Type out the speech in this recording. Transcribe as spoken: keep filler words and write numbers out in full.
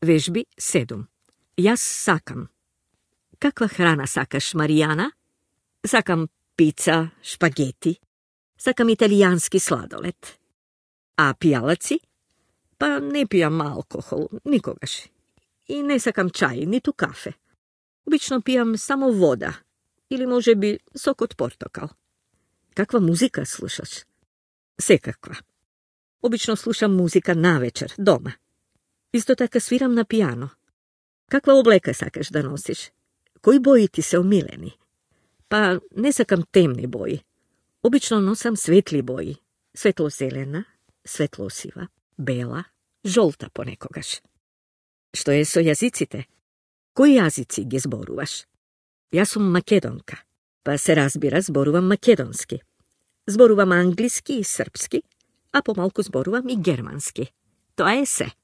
Vežbi sedum. Jaz sakam. Kakva hrana sakaš, Marijana? Sakam pizza, špageti. Sakam italijanski sladoled. A pijalaci? Pa ne pijam alkohol, nikogaš. I ne sakam čaj, nitu kafe. Obično pijam samo voda. Ili može bi sok od portokal. Kakva muzika slušaš? Sekakva. Obično slušam muzika navečer, doma. Isto tako sviram na pijano. Kakva obleka sakaš da nosiš? Koji boji ti se omileni? Pa ne sakam temni boji. Obično nosam svetli boji. Svetlo zelena, svetlo siva, bela, žolta ponekogaš. Što je so jazicite? Koji jazici gdje zboruvaš? Ja sam makedonka, pa se razbira zboruvam makedonski. Zboruvam anglijski i srpski, a pomalku zboruvam i germanski. To je se.